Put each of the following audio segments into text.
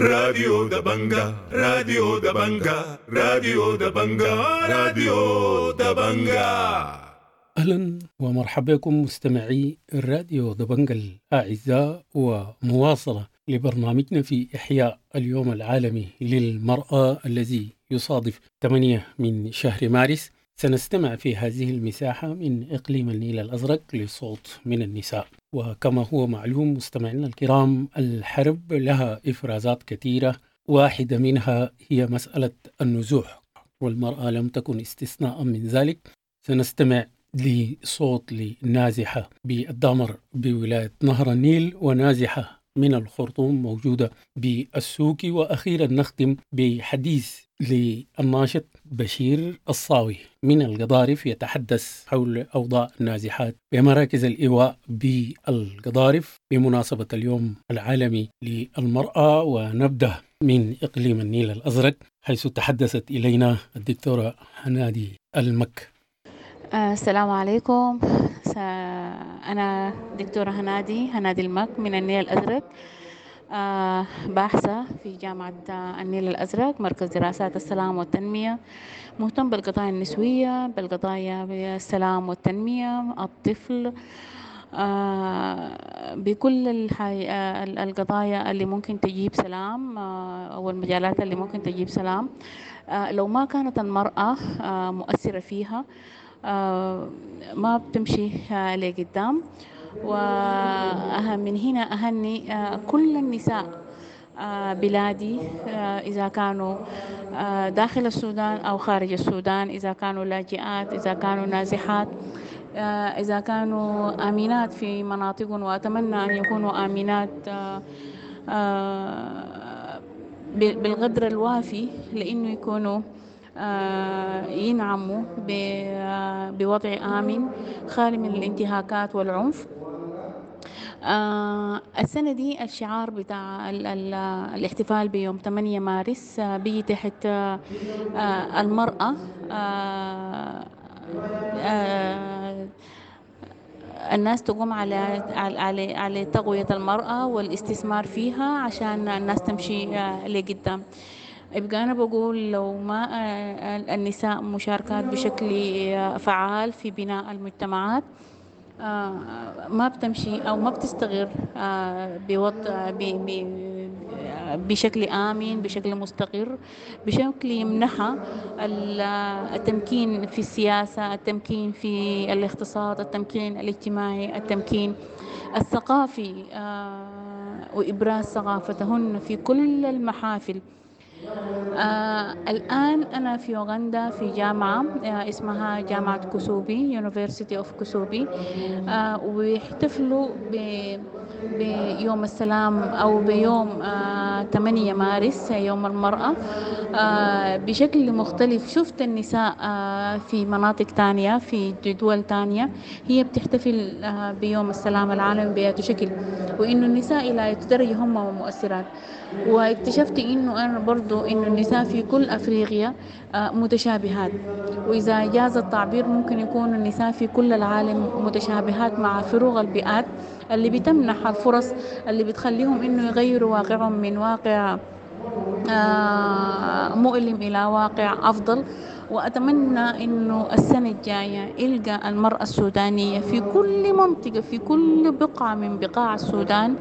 راديو دبنجا، راديو دبنجا، راديو دبنجا، راديو دبنجا. أهلا ومرحبا بكم مستمعي الراديو دبنجا الأعزاء، ومواصلة لبرنامجنا في إحياء اليوم العالمي للمرأة الذي يصادف 8 من شهر مارس. سنستمع في هذه المساحة من إقليم النيل الأزرق لصوت من النساء. وكما هو معلوم مستمعينا الكرام، الحرب لها إفرازات كثيرة، واحدة منها هي مسألة النزوح، والمرأة لم تكن استثناء من ذلك. سنستمع لصوت لنازحة بالدامر بولاية نهر النيل، ونازحة من الخرطوم موجودة بالسوكي، وأخيرا نختم بحديث للناشط بشير الصاوي من القضارف يتحدث حول أوضاع النازحات بمراكز الإيواء بالقضارف بمناسبة اليوم العالمي للمرأة. ونبدأ من إقليم النيل الأزرق حيث تحدثت إلينا الدكتورة هنادي المك. السلام عليكم. أنا دكتورة هنادي المك من النيل الأزرق، باحثة في جامعة النيل الأزرق، مركز دراسات السلام والتنمية، مهتم بالقضايا النسوية، بالقضايا بالسلام والتنمية، الطفل، بكل القضايا اللي ممكن تجيب سلام، أو المجالات اللي ممكن تجيب سلام. لو ما كانت المرأة مؤثرة فيها ما بتمشي لقدام. ومن هنا أهني كل النساء بلادي، إذا كانوا داخل السودان أو خارج السودان، إذا كانوا لاجئات، إذا كانوا نازحات، إذا كانوا آمنات في مناطقهم، وأتمنى أن يكونوا آمنات بالقدر الوافي لأنه يكونوا ينعموا بوضع آمن خالي من الانتهاكات والعنف. السنة دي الشعار بتاع الاحتفال بيوم 8 مارس بيجي تحت المرأة، الناس تقوم على على على تقوية المرأة والاستثمار فيها عشان الناس تمشي لقدام. يبقى أنا بقول لو ما النساء مشاركات بشكل فعال في بناء المجتمعات، ما بتمشي أو ما بتستغر بوضع بشكل آمن، بشكل مستقر، بشكل يمنحها التمكين في السياسة، التمكين في الاقتصاد، التمكين الاجتماعي، التمكين الثقافي، وإبراز ثقافتهن في كل المحافل. الآن أنا في أوغندا في جامعة اسمها جامعة كوسوبي، University of كوسوبي، ويحتفلوا بيوم السلام أو بيوم 8 مارس يوم المرأة بشكل مختلف. شفت النساء في مناطق تانية، في دول تانية، هي بتحتفل بيوم السلام العالمي بأي شكل، وإنه النساء إلى درجة هم مؤثرات. واكتشفت إنه أنا برضو إنه النساء في كل أفريقيا متشابهات، وإذا جاز التعبير ممكن يكون النساء في كل العالم متشابهات مع فروق البيئات اللي بتمنح الفرص اللي بتخليهم إنه يغيروا واقعهم من واقع مؤلم إلى واقع أفضل. وأتمنى إنه السنة الجاية يلقى المرأة السودانية في كل منطقة، في كل بقعة من بقاع السودان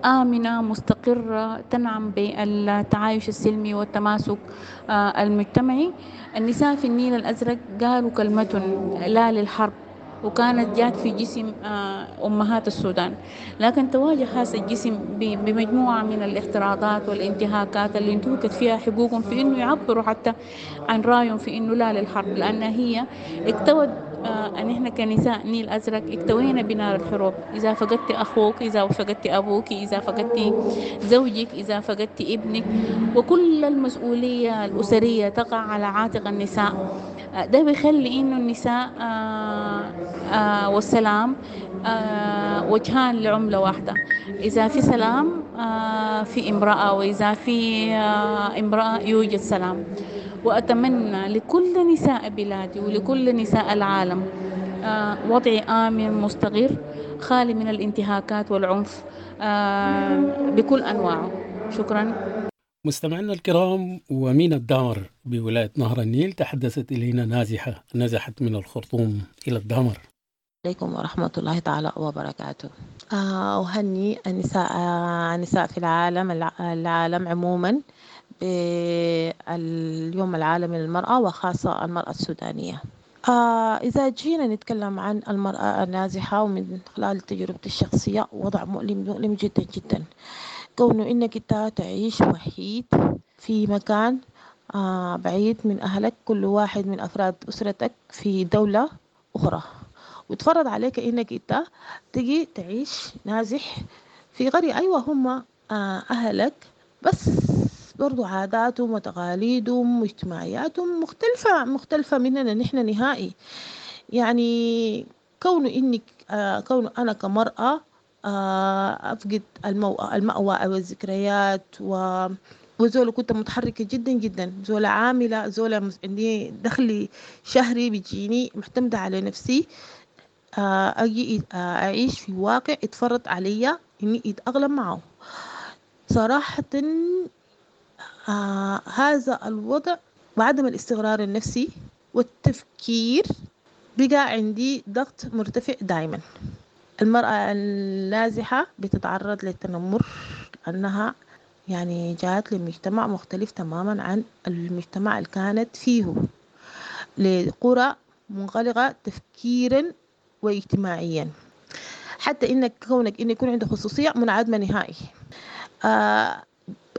آمنة مستقرة، تنعم بالتعايش السلمي والتماسك المجتمعي. النساء في النيل الأزرق قالوا كلمة لا للحرب، وكانت جات في جسم أمهات السودان، لكن تواجه هذا الجسم بمجموعة من الافتراضات والانتهاكات اللي انتهكت فيها حقوقهم في إنه يعبروا حتى عن رأيهم في إنه لا للحرب، لأن هي اكتوت أن إحنا كنساء نيل أزرق اكتوينا بنار الحروب. إذا فقدت أخوك، إذا فقدت أبوك، إذا فقدت زوجك، إذا فقدت ابنك، وكل المسؤولية الأسرية تقع على عاتق النساء. ده بيخلي إنه النساء والسلام وجهان لعملة واحدة. إذا في سلام في امرأة، وإذا في امرأة يوجد سلام. وأتمنى لكل نساء بلادي ولكل نساء العالم وضع آمن مستقر خالي من الانتهاكات والعنف بكل أنواعه. شكرا. مستمعينا الكرام، ومن الدامر بولاية نهر النيل تحدثت إلينا نازحة نزحت من الخرطوم إلى الدامر. عليكم ورحمة الله تعالى وبركاته. أهني النساء في العالم عموما باليوم العالمي للمرأة، وخاصة المرأة السودانية. إذا جينا نتكلم عن المرأة النازحة ومن خلال تجربتي الشخصية، وضع مؤلم مؤلم جدا جدا. كونه إنك أنت تعيش وحيد في مكان بعيد من أهلك، كل واحد من أفراد أسرتك في دولة أخرى، وتفرض عليك إنك أنت تجي تعيش نازح في قرية. أيوة هم أهلك، بس برضو عاداتهم وتقاليدهم واجتماعياتهم مختلفة مننا نحن نهائي. يعني كونه أنا كمرأة أفقد المأوى أو الذكريات، وزولة كنت متحركة جدا جدا، زولة عاملة، زولة عندي دخلي شهري بيجيني، معتمدة على نفسي. أجي أعيش في واقع اتفرض عليا إني أتأقلم معه. صراحة هذا الوضع وعدم الاستقرار النفسي والتفكير بقى عندي ضغط مرتفع دايما. المرأة النازحة بتتعرض للتنمر لأنها يعني جات لمجتمع مختلف تماما عن المجتمع اللي كانت فيه، لقرى منغلقة تفكيرا واجتماعيا، حتى إنك كونك إن يكون عنده خصوصية منعدمة نهائي.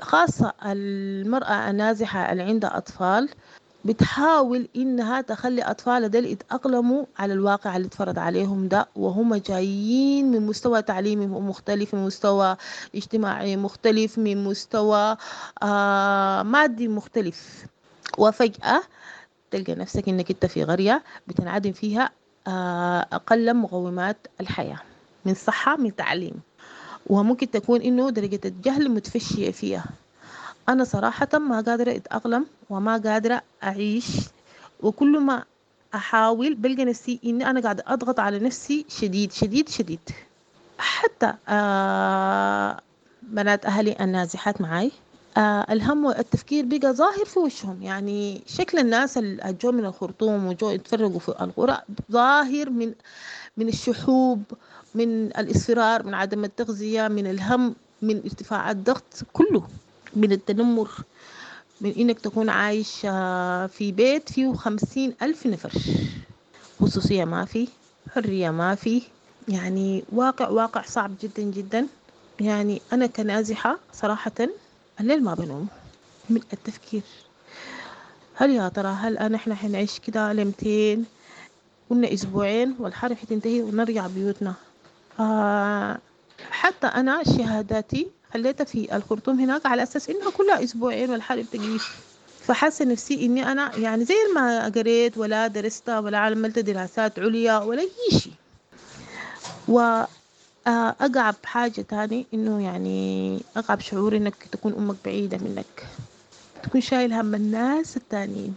خاصة المرأة النازحة اللي عندها أطفال بتحاول إنها تخلي أطفالها ديل يتأقلموا على الواقع اللي اتفرض عليهم ده، وهم جايين من مستوى تعليمي مختلف، من مستوى اجتماعي مختلف، من مستوى مادي مختلف. وفجأة تلقى نفسك إنك أنت في قرية بتنعدم فيها أقل مقومات الحياة، من صحة، من تعليم، وممكن تكون إنه درجة الجهل متفشية فيها. أنا صراحة ما قادرة أتأقلم وما قادرة أعيش، وكل ما أحاول بلقى نفسي إني أنا قاعدة أضغط على نفسي شديد شديد شديد. حتى بنات أهلي النازحات معاي الهم والتفكير بقى ظاهر في وشهم. يعني شكل الناس اللي جو من الخرطوم وجو يتفرقوا في القرى ظاهر من الشحوب، من الإصرار، من عدم التغذية، من الهم، من ارتفاع الضغط، كله من التنمر، من إنك تكون عايش في بيت فيه 50,000 نفر، خصوصية ما في، حرية ما في، يعني واقع صعب جدا جدا. يعني أنا كنازحة صراحة الليل ما بنوم من التفكير، هل يا ترى هل أنا إحنا حنعيش كده لمتين؟ قلنا أسبوعين والحرب حتنتهي ونرجع بيوتنا. حتى أنا شهاداتي خليتها في الخرطوم هناك على أساس إنها كلها أسبوعين والحرب تقيف. فحاسة نفسي إني أنا يعني زي ما قريت ولا درست ولا عملت دراسات عليا ولا أي شيء. وأقعب حاجة تاني إنه يعني أقعب شعور إنك تكون أمك بعيدة منك، تكون شايل هم الناس التانيين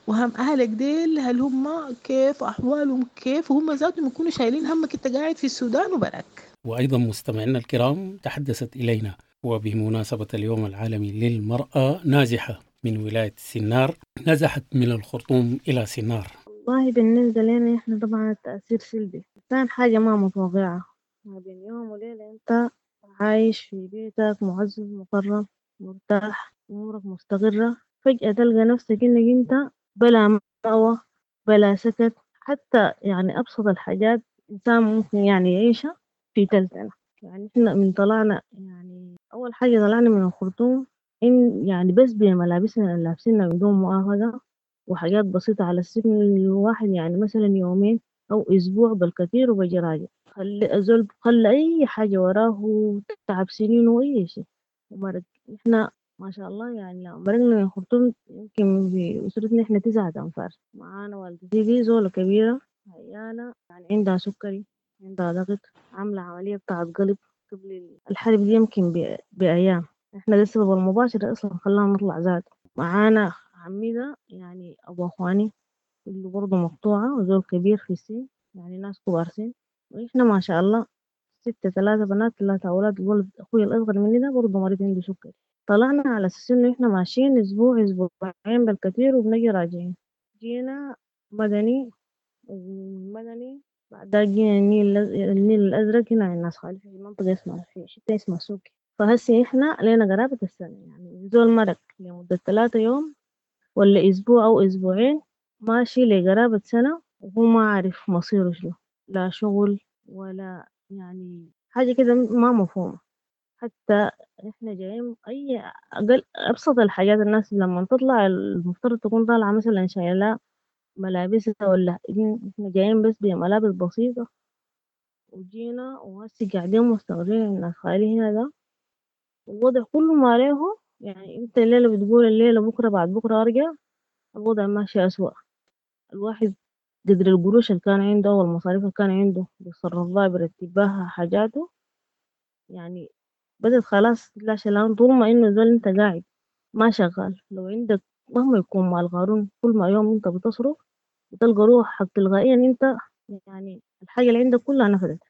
وهم أهلك ديل، هل هم كيف أحوالهم كيف، وهم ذاتهم يكونوا شايلين همك أنت قاعد في السودان وبرك. وأيضا مستمعينا الكرام تحدثت إلينا وبمناسبة اليوم العالمي للمرأة نازحة من ولاية سنار، نزحت من الخرطوم إلى سنار. والله بالنسبة لنا إحنا طبعا التأثير سلبي، كان حاجة ما متوقعة، ما بين يوم وليلة أنت عايش في بيتك معزز مكرم مرتاح أمورك مستقرة، فجأة تلقى نفسك إنك أنت بلا مأوى بلا سكن، حتى يعني أبسط الحاجات إنسان ممكن يعني يعيشها في تلتنا. يعني إحنا من طلعنا يعني أول حاجة طلعنا من الخرطوم إن يعني بس بملابسنا اللي لابسينها بدون مؤاخذة وحاجات بسيطة على السن الواحد، يعني مثلا يومين أو أسبوع بالكثير وبجي راجع، خلي الزول خلى أي حاجة وراه تعب سنين وأي شيء ومرق. إحنا ما شاء الله يعني مرقنا من الخرطوم يمكن في أسرتنا إحنا 9 أنفار، معانا والدتي دي زولة كبيرة عيانة يعني عندها سكري عندها ضغط عاملة عملية بتاعت قلب قبل الحرب دي يمكن بأيام. إحنا ده السبب المباشر أصلا خلانا نطلع زاد. معانا عمي ده يعني أبو أخواني اللي برضه مقطوعة وزول كبير في السن يعني ناس كبار سن، وإحنا ما شاء الله 6 3 بنات 3 أولاد. الولد أخوي الأصغر مني ده برضه مريض عنده سكري. طلعنا على أساس إنه إحنا ماشيين أسبوع أسبوعين بالكثير وبنجي راجعين. جينا مدني، ومدني بعدها جينا النيل الأزرق هنا عند ناس خالي في منطقة اسمها في حتة اسمها سوكي. فهسي إحنا لينا قرابة السنة، يعني زول مرق لمدة 3 يوم ولا أسبوع أو أسبوعين ماشي لقرابة سنة وهو ما عارف مصيره شنو، لا شغل ولا يعني حاجة كده ما مفهومة. حتى إحنا جايين أي أقل أبسط الحاجات، الناس لما تطلع المفترض تكون طالعة مثلا شايلة ملابسها ولا إحنا جايين بس بملابس بسيطة وجينا وهسي قاعدين مستغربين إن خالي هنا ده الوضع كله ما عليه. يعني انت الليلة بتقول الليلة بكرة بعد بكرة أرجع، الوضع ماشي أسوأ. الواحد قدر القروش اللي كان عنده والمصاريف اللي كان عنده بيتصرف بها بيرتب بها حاجاته، يعني بدأت خلاص لا شلان. طول ما إنه زول انت قاعد ما شغال، لو عندك مهما يكون مال قارون كل ما يوم انت بتصرف بتلقى روحك تلقائيا انت يعني الحاجة اللي عندك كلها نفدت.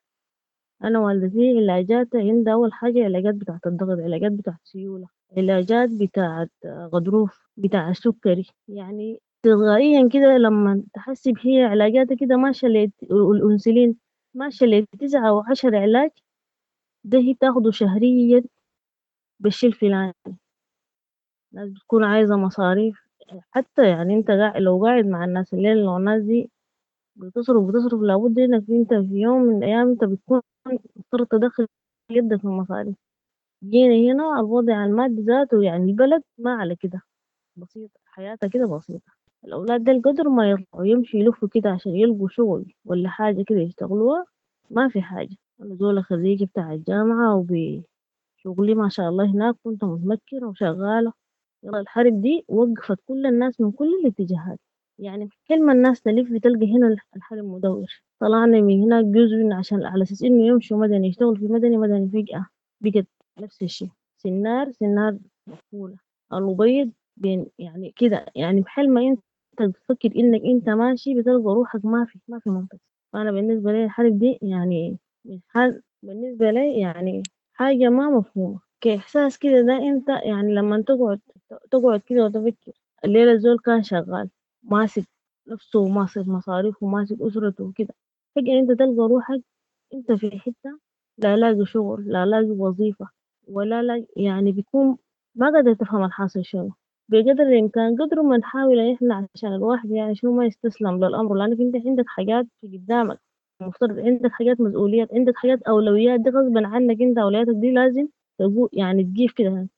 أنا والدتي علاجات عندها، أول حاجة علاجات بتاعت الضغط، علاجات بتاعت سيولة، علاجات بتاعت غضروف، بتاع السكري، يعني تلقائيا كده لما تحسب هي علاجاتها كده ماشية والأنسولين ماشية ل9 أو 10 علاج، ده هي بتاخده شهريا بالشي الفلاني. الناس بتكون عايزة مصاريف، حتى يعني انت لو قاعد مع الناس الليل لو الناس دي بتصرف لابد انك انت في يوم من الايام انت بتكون مضطر تدخل يدك في المصاريف. جينا هنا الوضع المادي ذاته يعني البلد ما على كده، بسيطة حياتها كده بسيطة. الأولاد ده القدر ما يطلعوا يمشوا يلفوا كده عشان يلقوا شغل ولا حاجة كده يشتغلوها، ما في حاجة. أنا زولة خريجة بتاع الجامعة وبشغلي ما شاء الله هناك كنت متمكنة وشغالة. يلا الحرب دي وقفت كل الناس من كل الاتجاهات، يعني كل ما الناس تلف بتلقى هنا الحرب مدور. طلعنا من هناك جزء من عشان على أساس إنه يمشوا مدني يشتغل في مدني، مدني فجأة بقت نفس الشيء، سنار سنار مقفولة، الأبيض بين يعني كده. يعني بحال ما أنت تفكر إنك أنت ماشي بتلقى روحك ما في منطقة. فأنا بالنسبة لي الحرب دي يعني من حال بالنسبة لي يعني حاجة ما مفهومة كإحساس كده. ده أنت يعني لما تقعد كده وتفكر الليلة الزول كان شغال ماسك نفسه وماسك مصاريفه وماسك أسرته وكده، فجأة أنت تلقى روحك أنت في حتة لا لاقي شغل لا لاقي وظيفة ولا لاقي، يعني بيكون ما قادر تفهم الحاصل شنو. بقدر الإمكان قدر ما نحاول إن إحنا عشان الواحد يعني شنو ما يستسلم للأمر، لأنك أنت عندك حاجات في قدامك، المفترض عندك حاجات مسؤوليات، عندك حاجات أولويات، دي غصبا عنك أنت أولوياتك دي لازم تقول يعني تجيب كده.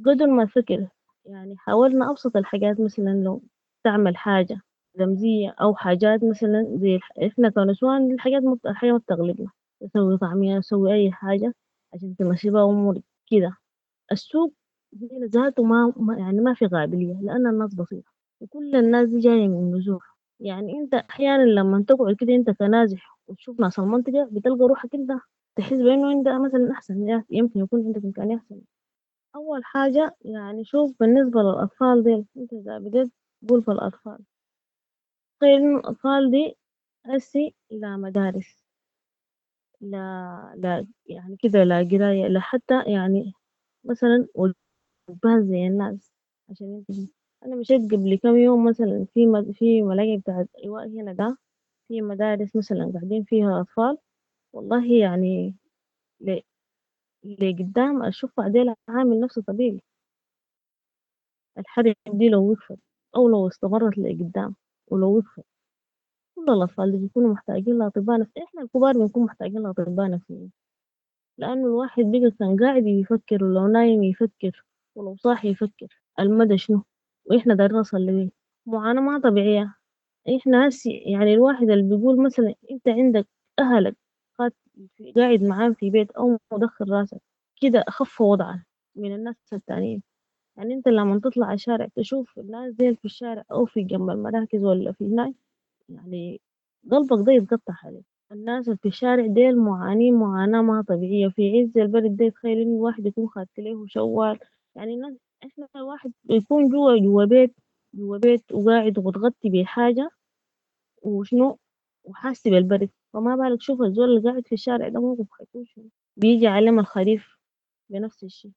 قدر ما تفكر يعني حاولنا أبسط الحاجات، مثلا لو تعمل حاجة رمزية أو حاجات مثلا زي إحنا كنسوان الحاجات الحاجة ما بتغلبنا، تسوي طعمية تسوي أي حاجة عشان تمشي بها أمورك كده. السوق هنا ذاته ما يعني ما في قابلية لأن الناس بسيطة وكل الناس دي جاية من نزوح. يعني أنت أحيانا لما تقعد كده أنت كنازح وتشوف ناس المنطقة بتلقى روحك أنت تحس بأنه أنت مثلا أحسن، يمكن يكون عندك إمكانية أحسن. أول حاجة يعني شوف بالنسبة للأطفال دي، أنت إذا بديت تقول في الأطفال، تخيل إنه الأطفال دي هسي لا مدارس لا لا يعني كده لا قراية لا حتى يعني مثلا وجبات زي الناس عشان ينتهي. أنا مشيت قبل كم يوم مثلا في ملاجئ بتاعت إيواء هنا ده، في مدارس مثلا قاعدين فيها أطفال، والله يعني لقدام أشوف بعدين عامل نفسه طبيعي. الحرب دي لو وقفت أو لو استمرت لقدام ولو وقفت، كل الأطفال اللي بيكونوا محتاجين لأطباء نفسيين، إحنا الكبار بنكون محتاجين لأطباء نفسيين، لأنه الواحد بقى كان قاعد يفكر ولو نايم يفكر ولو صاحي يفكر المدى شنو وإحنا دايرين نوصل لوين. معاناة ما طبيعية. إحنا هسي يعني الواحد اللي بيقول مثلا أنت عندك أهلك قاعد معاهم في بيت أو مدخل راسك كده أخف وضعا من الناس التانيين. يعني أنت لما تطلع على الشارع تشوف الناس دي في الشارع أو في جنب المراكز ولا في هناك، يعني قلبك ده يتقطع عليك. الناس اللي في الشارع ديل معانين معاناة ما طبيعية في عز البرد ده. تخيل إن الواحد يكون خدت له شوال، يعني الناس إحنا الواحد يكون جوا بيت وقاعد ومتغطي بحاجة وشنو وحاسس بالبرد، فما بالك شوف الزول اللي قاعد في الشارع ده موقف حيكون شنو. بيجي عليهم الخريف بنفس الشيء.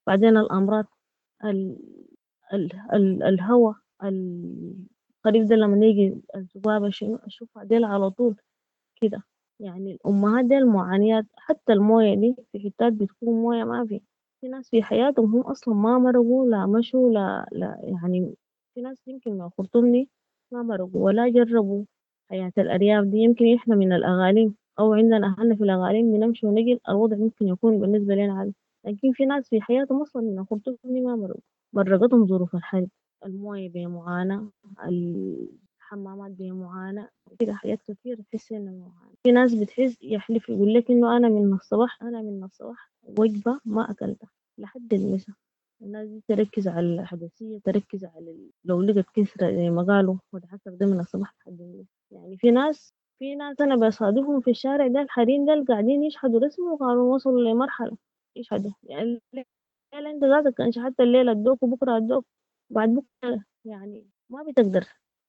بعدين الأمراض ال ال ال الهواء، الخريف ده لما يجي الذبابة شنو الشفع ديل على طول كده. يعني الأمهات ديل معانيات، حتى الموية دي في حتات بتكون موية ما في، في ناس في حياتهم هم أصلا ما مرقوا لا مشوا لا، لا يعني في ناس يمكن من الخرطوم دي ما مرقوا ولا جربوا حياة الأرياف دي. يمكن إحنا من الأغاليم أو عندنا أهلنا في الأغاليم بنمشي ونجي، الوضع ممكن يكون بالنسبة لنا عادي، لكن في ناس في حياتهم أصلا من الخرطوم دي ما مرقوا، مرقتهم ظروف الحرب، الموية بمعاناة، الحمامات بمعاناة، كده حاجات كتير تحس إنه معاناة. في ناس بتحس يحلف يقول لك إنه أنا من الصباح وجبة ما أكلتها لحد المساء. الناس دي تركز على الحدثية، تركز على لو لقت كسرة زي ما قالوا وتعصر ده من الصباح لحد المساء. يعني في ناس أنا بصادفهم في الشارع ده، الحريم ده قاعدين يشحدوا رسمي وقالوا وصلوا لمرحلة يشحدوا. يعني الليلة أنت ذاتك كان شحدت الليلة أدوك وبكرة أدوك بعد بكرة، يعني ما بتقدر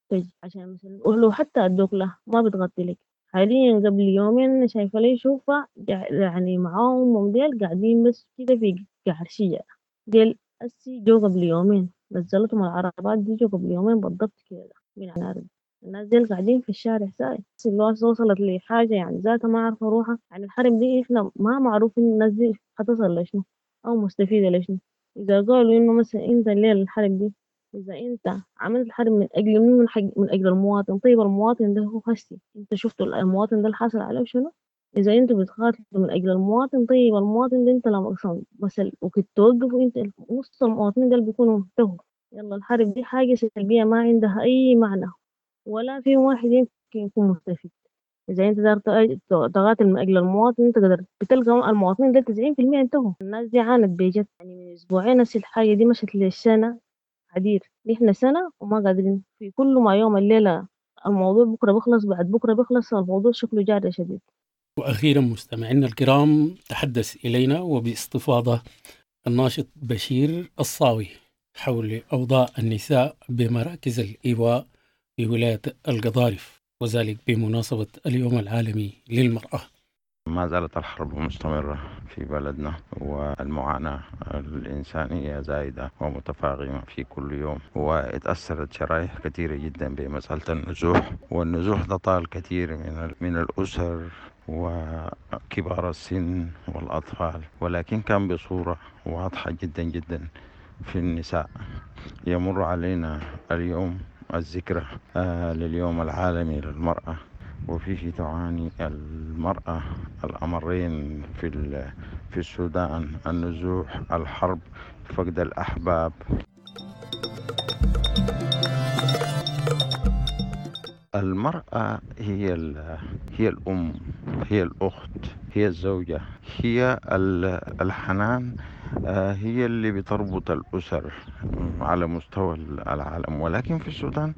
تجي عشان مثلا ولو حتى أدوك له ما بتغطي لك. حاليا قبل يومين شايفة لي شوفة يعني معاهم أمهم ديل قاعدين بس كده في قعر شجرة ديل أسي جو قبل يومين نزلتهم العربات دي جو قبل يومين بالضبط كده من النار. الناس ديل قاعدين في الشارع ساي، اللي وصلت لحاجة يعني ذاتها ما عارفة روحها. يعني الحرب دي إحنا ما معروف إن الناس دي حتصل لشنو أو مستفيدة لشنو. إذا قالوا إنه مثلا أنت الليلة الحرب دي إذا أنت عملت الحرب من أجل منو؟ من أجل المواطن. طيب المواطن ده هو هسي أنت شفتوا المواطن ده الحاصل عليه شنو؟ إذا أنتوا بتقاتلوا من أجل المواطن، طيب المواطن ده أنت لما أصلاً مثلاً وكنت توقفوا أنت نص المواطنين ده بيكونوا انتهوا. يلا الحرب دي حاجة سلبية ما عندها أي معنى ولا في واحد يمكن يكون مستفيد. إذا أنت دار تقاتل من أجل المواطن أنت قدرت بتلقى المواطنين ده تسعين في المية انتهوا. الناس دي عانت بجد، يعني من أسبوعين هسي الحاجة دي مشت للسنة عديد، نحن سنة وما قادرين في كل ما يوم الليلة الموضوع بكرة بخلص بعد بكرة بخلص، الموضوع شكله جاري شديد. وأخيرا مستمعينا الكرام تحدث إلينا وباستفاضة الناشط بشير الصاوي حول أوضاع النساء بمراكز الإيواء في ولاية القضارف، وذلك بمناسبة اليوم العالمي للمرأة. ما زالت الحرب مستمرة في بلدنا، والمعاناة الإنسانية زايدة ومتفاقمة في كل يوم، واتأثرت شرائح كثيرة جدا بمسألة النزوح، والنزوح ده طال كثير من الأسر وكبار السن والأطفال، ولكن كان بصورة واضحة جدا جدا في النساء. يمر علينا اليوم الذكرى لليوم العالمي للمرأة، وفيه تعاني المرأة الأمرين في السودان: النزوح، الحرب، فقد الأحباب. المرأة هي الأم، هي الأخت، هي الزوجة، هي الحنان، هي اللي بتربط الأسر على مستوى العالم. ولكن في السودان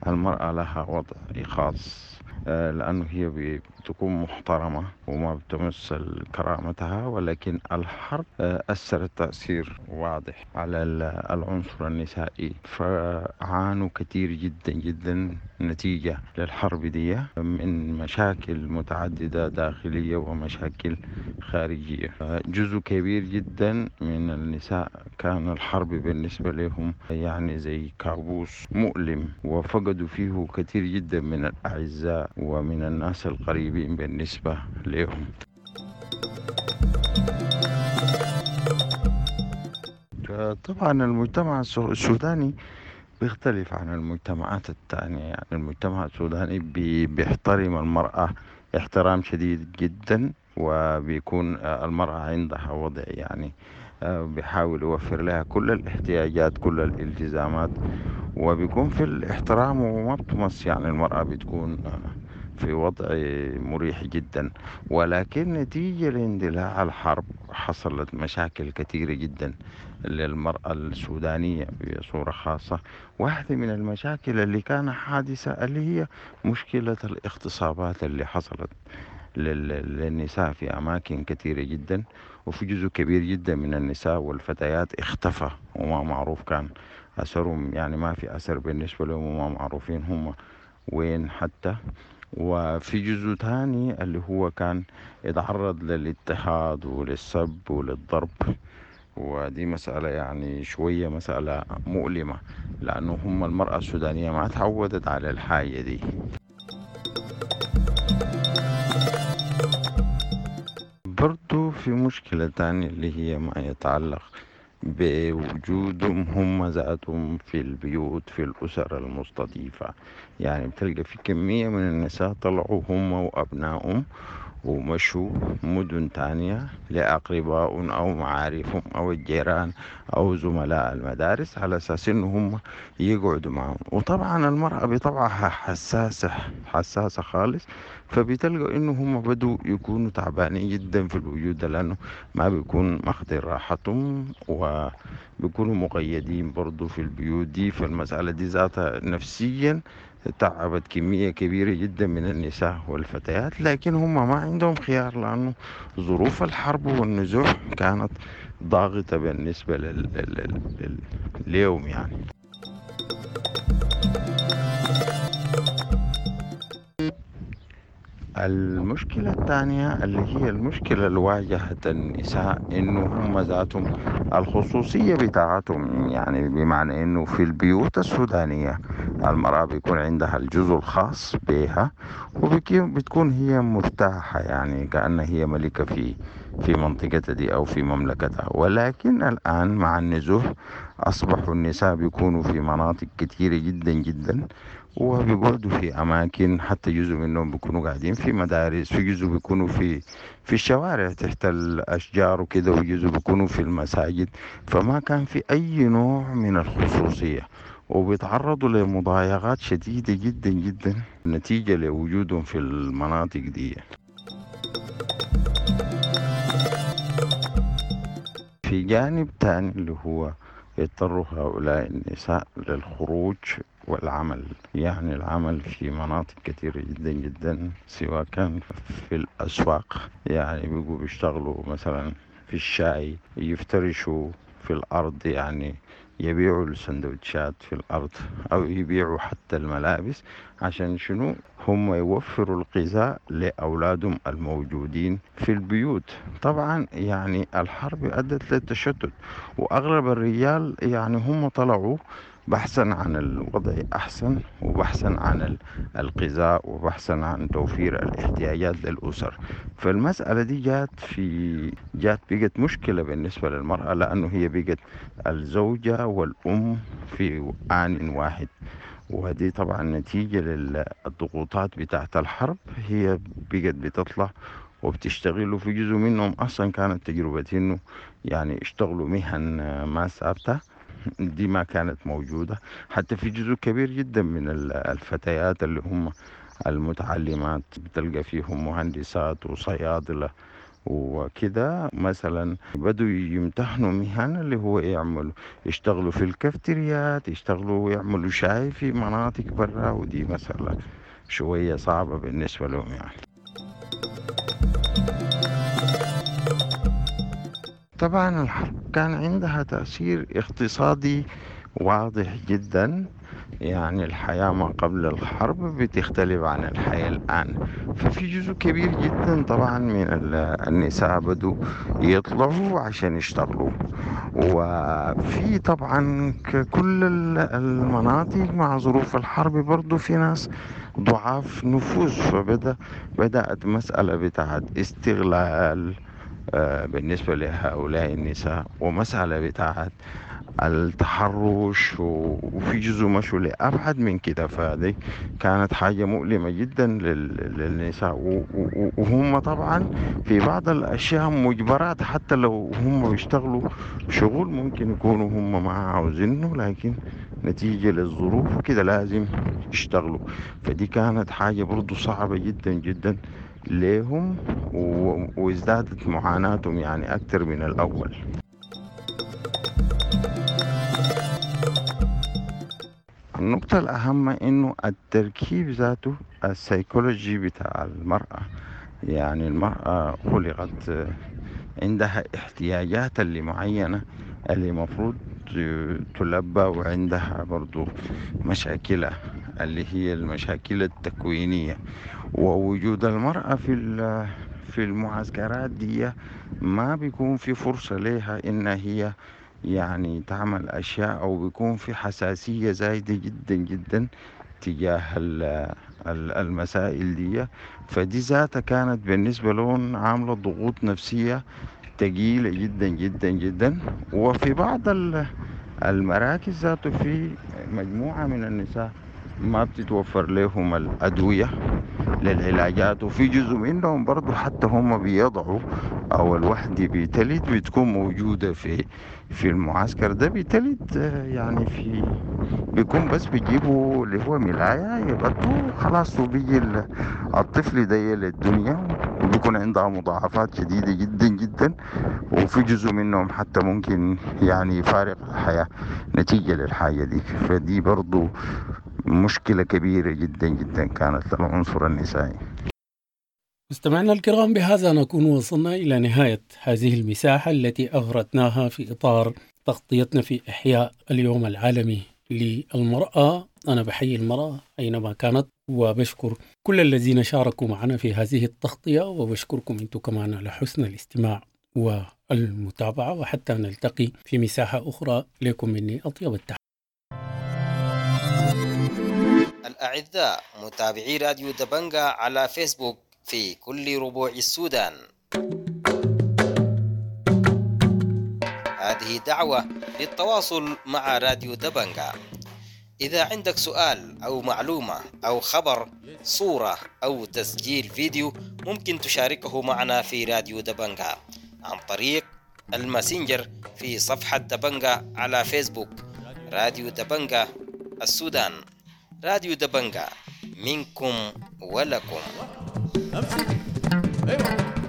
المرأة لها وضع خاص، لأنه هي بتكون محترمة وما بتمس كرامتها، ولكن الحرب أثرت تأثير واضح على العنصر النسائي، فعانوا كثير جدا جدا نتيجة للحرب دي من مشاكل متعددة داخلية ومشاكل خارجية. جزء كبير جدا من النساء كان الحرب بالنسبة لهم زي كابوس مؤلم، وفقدوا فيه كثير جدا من الأعزاء ومن الناس القريبين بالنسبة لهم. طبعا المجتمع السوداني بيختلف عن المجتمعات الثانية، المجتمع السوداني بيحترم المرأة احترام شديد جدا، وبيكون المرأة عندها وضع بيحاول يوفر لها كل الاحتياجات كل الالتزامات، وبيكون في الاحترام وما بتمس، المرأة بتكون في وضع مريح جدا. ولكن نتيجة لاندلاع الحرب حصلت مشاكل كثيرة جدا للمرأة السودانية بصورة خاصة. واحدة من المشاكل اللي كان حادثة اللي هي مشكلة الاغتصابات اللي حصلت للنساء في أماكن كثيرة جدا، وفي جزء كبير جدا من النساء والفتيات اختفى وما معروف كان أثرهم، ما في أثر بالنسبة لهم وما معروفين هم وين حتى. وفي جزء ثاني اللي هو كان يتعرض للاضطهاد وللسب وللضرب ودي مسألة يعني شوية مسألة مؤلمة، لأنه هم المرأة السودانية ما تعودت على الحاجة دي. برضو في مشكلة تانية اللي هي ما يتعلق بوجودهم هم ذاتهم في البيوت في الأسر المستضيفة. يعني بتلقى في كمية من النساء طلعوا هم وأبنائهم ومشوا مدن تانية لأقربائهم أو معارفهم أو الجيران أو زملاء المدارس على أساس إنه هم يقعدوا معهم. وطبعا المرأة بطبعها حساسة خالص، فبتلقوا إنه هم بدوا يكونوا تعبانين جدا في الوجود ده، لأنه ما بيكون ماخدين راحتهم وبيكونوا مقيدين برضو في البيوت دي. فالمسألة دي ذاتها نفسيا تعبت كمية كبيرة جدا من النساء والفتيات، لكن هم ما عندهم خيار لأنه ظروف الحرب والنزوح كانت ضاغطة بالنسبة ليهم. المشكلة الثانية اللي هي المشكلة اللي واجهت النساء إنه هم ذاتهم الخصوصية بتاعتهم، يعني بمعنى إنه في البيوت السودانية المرأة بيكون عندها الجزء الخاص بها وبتكون هي مرتاحة، يعني كأنها هي ملكة في منطقتها دي أو في مملكتها. ولكن الآن مع النزوح أصبحوا النساء بيكونوا في مناطق كثيرة جدا جدا، وبيقعدوا في أماكن، حتى جزء منهم بيكونوا قاعدين في مدارس، في جزء بيكونوا في الشوارع تحت الأشجار وكده، وجزء بيكونوا في المساجد. فما كان في أي نوع من الخصوصية، وبيتعرضوا لمضايقات شديدة جدا جدا نتيجة لوجودهم في المناطق دي. في جانب تاني اللي هو يضطروا هؤلاء النساء للخروج والعمل، يعني العمل في مناطق كثيرة جدا جدا، سواء كان في الأسواق، يعني بيجوا بيشتغلوا مثلا في الشاي، يفترشوا في الأرض، يعني يبيعوا السندوتشات في الأرض أو يبيعوا حتى الملابس، عشان شنو؟ هم يوفروا الغذاء لأولادهم الموجودين في البيوت. طبعا الحرب أدت للتشتت، وأغلب الرجال هم طلعوا بحثا عن الوضع أحسن، وبحثا عن الغذاء، وبحثا عن توفير الاحتياجات للأسر. فالمسألة دي جات بقت مشكلة بالنسبة للمرأة، لأنه هي بقت الزوجة والأم في آن واحد، وهذه طبعا نتيجة للضغوطات بتاعت الحرب. هي بقت بتطلع وبتشتغل، وفي جزء منهم أصلا كانت تجربة إنه اشتغلوا مهن ما ثابتة، دي ما كانت موجودة. حتى في جزء كبير جدا من الفتيات اللي هم المتعلمات بتلقى فيهم مهندسات وصيادلة وكده، مثلا بدوا يمتحنوا مهن اللي هو يشتغلوا في الكافتريات، يشتغلوا ويعملوا شاي في مناطق برا، ودي مسألة شوية صعبة بالنسبة لهم. طبعا الحرب كان عندها تأثير اقتصادي واضح جدا، الحياة ما قبل الحرب بتختلف عن الحياة الآن. ففي جزء كبير جدا طبعا من النساء بدوا يطلعوا عشان يشتغلوا، وفي طبعا كل المناطق مع ظروف الحرب برضو في ناس ضعاف نفوذ، فبدأت مسألة بتاعت استغلال بالنسبة لهؤلاء النساء، ومسألة بتاعت التحرش، وفي جزء مشوا لأبعد من كده. فهذه كانت حاجة مؤلمة جدا للنساء، وهم طبعا في بعض الأشياء مجبرات، حتى لو هم بيشتغلوا شغل ممكن يكونوا هم ما عاوزينه، لكن نتيجة للظروف كده لازم يشتغلوا. فدي كانت حاجة برضو صعبة جدا جدا ليهم، وازدادت معاناتهم أكثر من الأول. النقطة الأهم إنه التركيب ذاته السيكولوجي بتاع المرأة، المرأة خلقت عندها احتياجات اللي معينة اللي مفروض تلبى، وعندها برضو مشاكلها اللي هي المشاكل التكوينية. ووجود المرأة في المعسكرات دي ما بيكون في فرصة لها إن هي يعني تعمل أشياء، أو بيكون في حساسية زايدة جدا جدا تجاه المسائل دي. فدي ذاتها كانت بالنسبة لهم عاملة ضغوط نفسية تقيلة جدا جدا جدا. وفي بعض المراكز ذاته في مجموعة من النساء ما بتتوفر لهم الأدوية للعلاجات، وفي جزء منهم برضو حتى هم بيضعوا أو الوحدة بتلد بتكون موجودة في المعسكر ده، بتلد يعني في بيكون بس بيجيبوا اللي هو ملاية يغطوا خلاص، وبيجي الطفل ده للدنيا وبيكون عندها مضاعفات شديدة جدا جدا، وفي جزء منهم حتى ممكن يعني يفارق الحياة نتيجة للحاجة دي. فدي برضو مشكلة كبيرة جدا جدا كانت للعنصر النسائي. مستمعينا الكرام، بهذا نكون وصلنا إلى نهاية هذه المساحة التي أغرتناها في إطار تغطيتنا في إحياء اليوم العالمي للمرأة. أنا بحيي المرأة أينما كانت، وبشكر كل الذين شاركوا معنا في هذه التغطية، وبشكركم أنتم كمان على حسن الاستماع والمتابعة، وحتى نلتقي في مساحة أخرى. لكم مني أطيب التحية. الأعزاء متابعي راديو دبنجا على فيسبوك في كل ربوع السودان، هذه دعوة للتواصل مع راديو دبنجا. إذا عندك سؤال أو معلومة أو خبر، صورة أو تسجيل فيديو، ممكن تشاركه معنا في راديو دبنجا عن طريق الماسنجر في صفحة دبنجا على فيسبوك، راديو دبنجا السودان. راديو دبنجا منكم ولكم. أمسك. أيوة.